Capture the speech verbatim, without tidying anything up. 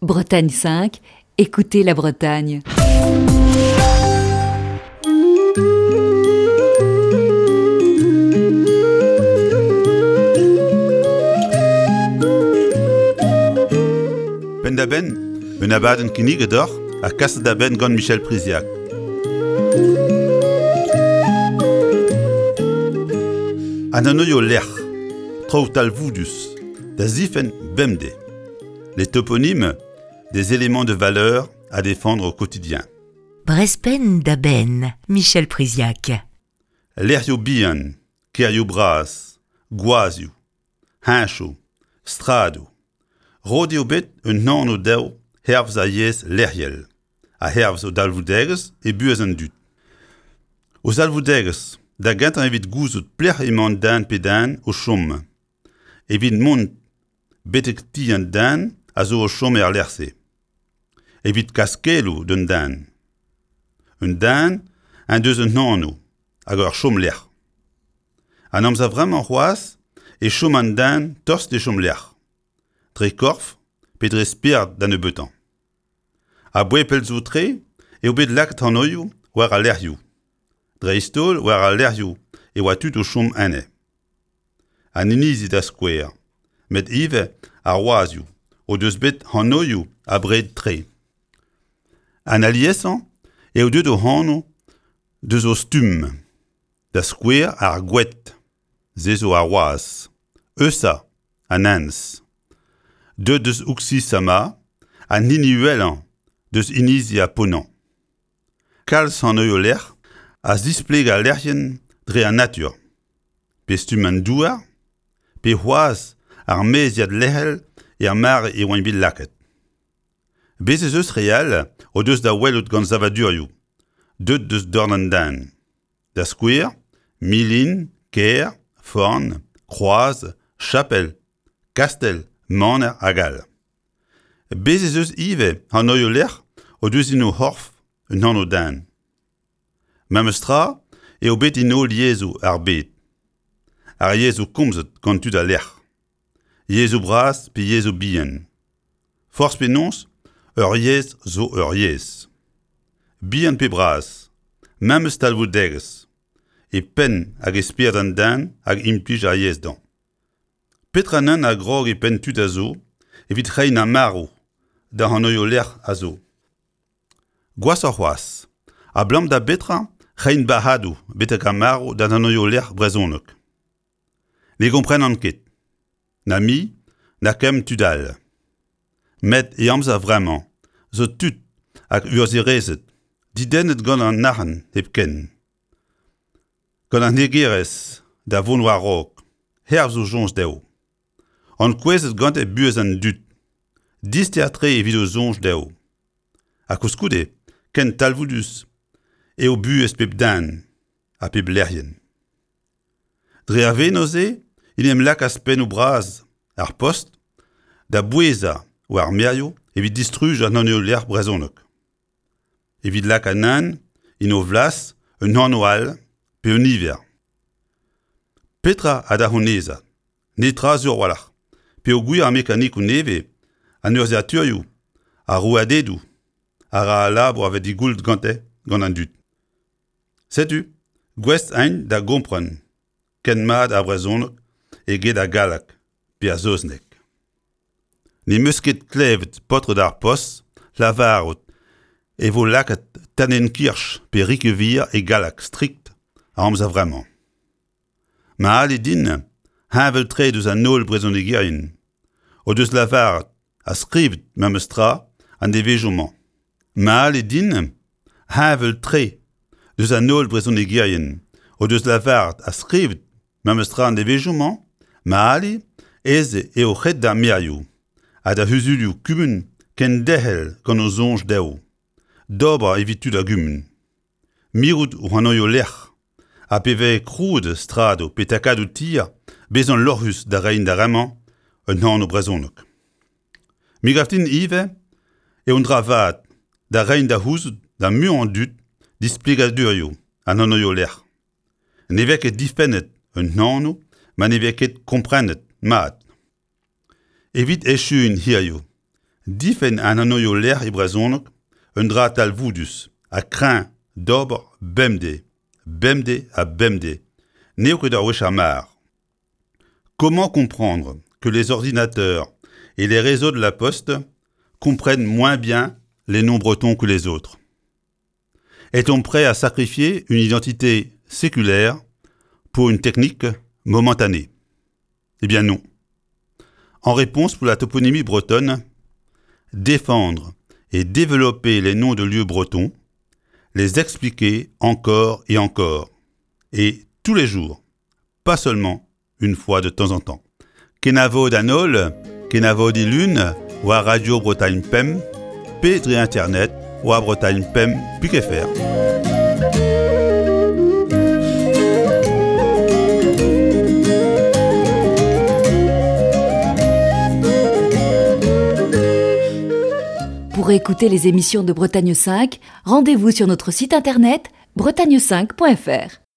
Bretagne cinq, écoutez la Bretagne. Penn-da-benn, un abadenn kinniget deoc'h ha kaset da benn gant Michel Priziac. An anvioù lec'h, traoù talvoudus, da zifenn bemdez. Les toponymes, des éléments de valeur à défendre au quotidien. Brezh Penn-da-Benn, Michel Priziac. Lec'hioù bihan, kêrioù bras, gwazhioù, heñchoù, stradoù. Roet eo bet un anv dezho hervez ar yezh lec'hel ha hervez o dalvoudegezh e buhez an dud. O zalvoudegezh da gentañ evit gouzout pelec'h emañ den pe den o chom, evit mont betek ti an den a zo o chom er lec'h-se. Evit kas keloù d'un den. Un den en deus un anv hag ur chomlec'h. An amzer vremañ c'hoazh e chom an den tost d'e chomlec'h. Dre korf pe dre spered da nebeutañ. A-bouez pell zo tre eo bet lakaet anvioù war al lec'hioù. Dreist-holl war al lec'hioù e oa tud o chom enne. An inizi da skouer, met ivez ar wazhioù o deus bet anvioù abred-tre. An aliesañ eo deuet o anv deus o stumm. Da skouer ar Goued, se zo ar wazh. Eusa, an enez. Deuet deus Uxisama, an hini uhelañ deus inizi ar Ponant. Kalz anvioù lec'h a zispleg al lec'hienn dre an natur. Pe stumm an douar, pe c'hoazh ar maeziad lec'hel er mare e oant bet lakaet. Bez' ez eus re all o deus da welout gant savadurioù, deuet deus dorn an den. Da skouer, milin, kêr, forn, kroaz, chapel, kastell, maner hag all. Bez' ez eus ivez anvioù lec'h o deus en o c'horf un anv den. Memes tra eo bet en holl yezhoù ar bed. Ar yezhoù komzet gant tud al lec'h. Yezhoù bras pe yezhoù bihan. Forzh penaos, ur yezh zo ur yezh. Bihan pe bras, memes talvoudegezh, e penn hag e spered an den hag implij ar yezh dañ. Petra neuze a grog e penn tud a zo evit reiñ ar marv da anvioù lec'h a zo. Gwashoc'h c'hoazh, abalamour da betra reiñ bac'hadoù betek ar marv da anvioù lec'h brezhonek. Ne gomprenan ket. Na me, na kemm tud all. Met e amzer vremañ zo tud hag urzhierezed didennet gant an arc'hant hepken. Gant an hegerezh da vont war-raok, hervez o soñj dezho. Ankouezet gante buhez an dud, dister-tre evit o soñj dezho. Ha koulskoude, ken talvoudus eo buhez pep den ha pep lec'hienn. Dre ar venoz-se en em lakaas pennoù bras ar Post da bouezañ war ar maerioù evit distruj an anvioù lec'h brezhonek. Evit lakaat anezhañ en o flas un anv all pe un niver. Petra a da c'honezañ? Netra sur a-walc'h. Peogwir ar mekanikoù nevez, an urzhiataerioù, ar rouedadoù a ra al labour a vez digoullet gante gant an dud. Setu, gouest int da gompren ken mat ar brezhoneg eget ar galleg pe ar saozneg. N'em eus ket klevet paotred ar Post lavarout e vo lakaet Tannenkirch pe Riquewihr e galleg strikt a amzer vremañ. Ma ali din, heñvel-tre deus an holl brezhonegerien o deus lavaret ha skrivet memes tra an devezhioù-mañ. Ma ali din, heñvel-tre deus an holl brezhonegerien o deus lavaret ha skrivet memes tra an devezhioù-mañ, ma ali ez eo ret d'ar maerioù ha da c'huzulioù kumun kenderc'hel gant o soñj dezho, d'ober evit tud ar gumun. Mirout o anvioù lec'h ha pe vez krouet stradoù pe takadoù tier bezañ lorc'hus da reiñ d'ar re-mañ un anv brezhonek. Me gav din ivez eo un dra vat da reiñ da c'houzout da muiañ an dud displegadurioù an anvioù lec'h. Ne vez ket difennet un anv ma ne vez ket komprenet mat. Evit echuiñ hiziv, Difenn an anvioù lec'h e brezhoneg un dra talvoudus ha kreñv d'ober bemdez, bemdez ha bemdez, n'eo ket ur wech ar mar. Comment comprendre que les ordinateurs et les réseaux de la poste comprennent moins bien les noms bretons que les autres? Est-on prêt à sacrifier une identité séculaire pour une technique momentanée? Eh bien non. En réponse pour la toponymie bretonne, défendre et développer les noms de lieux bretons, les expliquer encore et encore, et tous les jours, pas seulement une fois de temps en temps. Kenavo d'an holl, kenavo dilun, war Radio Bretagne Pemp, pe dre internet, war Bretagne Pemp pik F R. Pour écouter les émissions de Bretagne cinq, rendez-vous sur notre site internet bretagne cinq point F R.